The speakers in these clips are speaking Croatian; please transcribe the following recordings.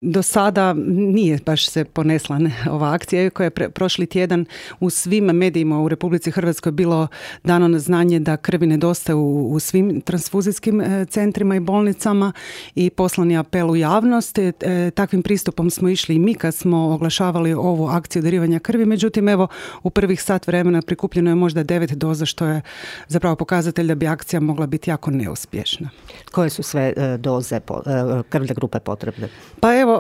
Do sada nije baš se ponesla ova akcija, koja je prošli tjedan u svim medijima u Republici Hrvatskoj bilo dano na znanje da krvi nedostaje u svim transfuzijskim centrima i bolnicama i poslan je apel u javnost. Takvim pristupom smo išli i mi kad smo oglašavali ovu akciju darivanja krvi. Međutim, evo, u prvih sat vremena prikupljeno je možda 9 doza, što je zapravo pokazatelj da bi akcija mogla biti jako neuspješna. Koje su sve doze krvne grupe potrebne? Pa evo,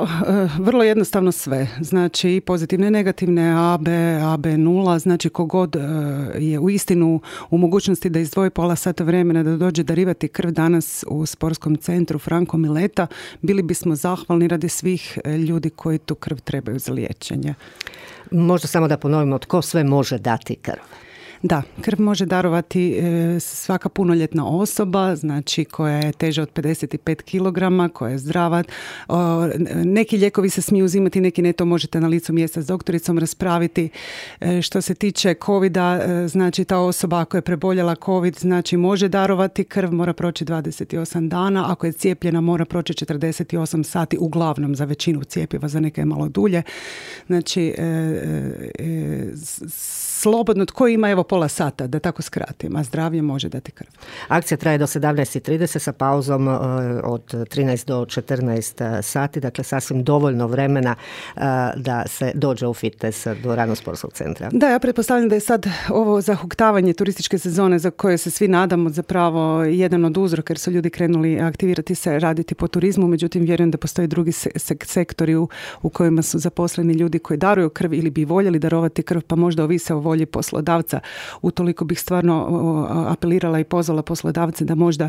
vrlo jednostavno sve. Znači i pozitivne i negativne, AB, AB0, znači kogod je u istinu u mogućnosti da izdvoji pola sata vremena da dođe darivati krv danas u sportskom centru Franko Mileta, bili bismo zahvalni radi svih ljudi koji tu krv trebaju za liječenje. Možda samo da ponovimo, tko sve može dati krv? Da, krv može darovati svaka punoljetna osoba, znači koja je teža od 55 kg, koja je zdrava. Neki lijekovi se smiju uzimati, neki ne, to možete na licu mjesta s doktoricom raspraviti. Što se tiče covida, znači ta osoba ako je preboljela covid, znači može darovati krv, mora proći 28 dana, ako je cijepljena mora proći 48 sati, uglavnom za većinu cjepiva, za neke malo dulje. Znači, slobodno, tko ima evo pola sata, da tako skratim, a zdravlje može dati krv. Akcija traje do 17:30 sa pauzom od 13 do 14 sati, dakle sasvim dovoljno vremena da se dođe u fitness dvoranu sportskog centra. Da, ja pretpostavljam da je sad ovo zahuktavanje turističke sezone za koje se svi nadamo zapravo jedan od uzroka, jer su ljudi krenuli aktivirati se, raditi po turizmu, međutim vjerujem da postoje drugi sektori u kojima su zaposleni ljudi koji daruju krv ili bi voljeli darovati krv, pa možda ovise o volji poslodavca. Utoliko bih stvarno apelirala i pozvala poslodavce da možda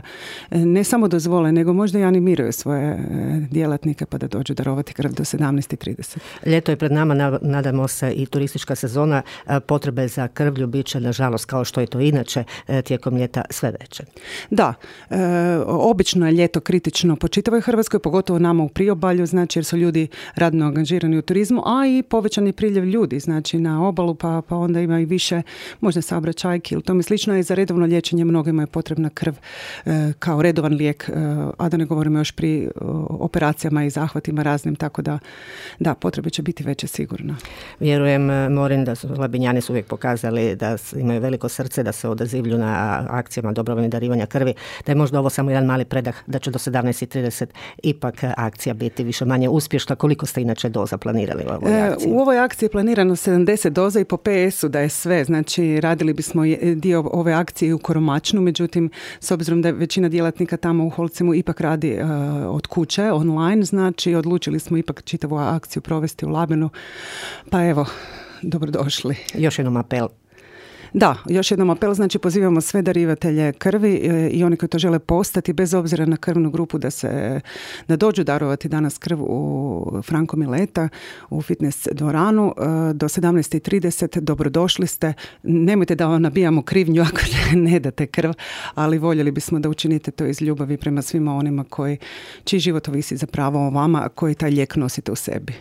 ne samo dozvole, nego možda i animiraju svoje djelatnike pa da dođu darovati krv do 17:30. Ljeto je pred nama, nadamo se i turistička sezona. Potrebe za krvlju bit će, nažalost, kao što je to inače tijekom ljeta, sve veće. Da, obično je ljeto kritično po čitavoj Hrvatskoj, pogotovo nama u priobalju, znači jer su ljudi radno angažirani u turizmu, a i povećan je priljev ljudi, znači na obalu, pa onda ima i više možda saobraćajki ili tome slično, i za redovno liječenje mnogima je potrebna krv kao redovan lijek, a da ne govorimo još pri operacijama i zahvatima raznim, tako da potrebe će biti veće sigurno. Vjerujem, Morin, da su Labinjani su uvijek pokazali da imaju veliko srce, da se odazivlju na akcijama dobrovoljnog darivanja krvi, da je možda ovo samo jedan mali predah, da će do 17:30 ipak akcija biti više manje uspješna. Koliko ste inače doza planirali u ovoj akciji? U ovoj akciji je planirano 70 doza i po PS-u da je sve, znači radili bismo dio ove akcije u Koromačnu, međutim s obzirom da je većina djelatnika tamo u Holcimu ipak radi od kuće, online, znači odlučili smo ipak čitavu akciju provesti u Labinu, pa evo, dobrodošli. Još jednom apel. Da, još jednom apel, znači pozivamo sve darivatelje krvi i oni koji to žele postati, bez obzira na krvnu grupu, da dođu darovati danas krv u Franko Mileta, u fitness dvoranu do 17:30. Dobrodošli ste. Nemojte da vam nabijamo krivnju ako ne date krv, ali voljeli bismo da učinite to iz ljubavi prema svima onima čiji život ovisi zapravo o vama, a koji taj lijek nosite u sebi.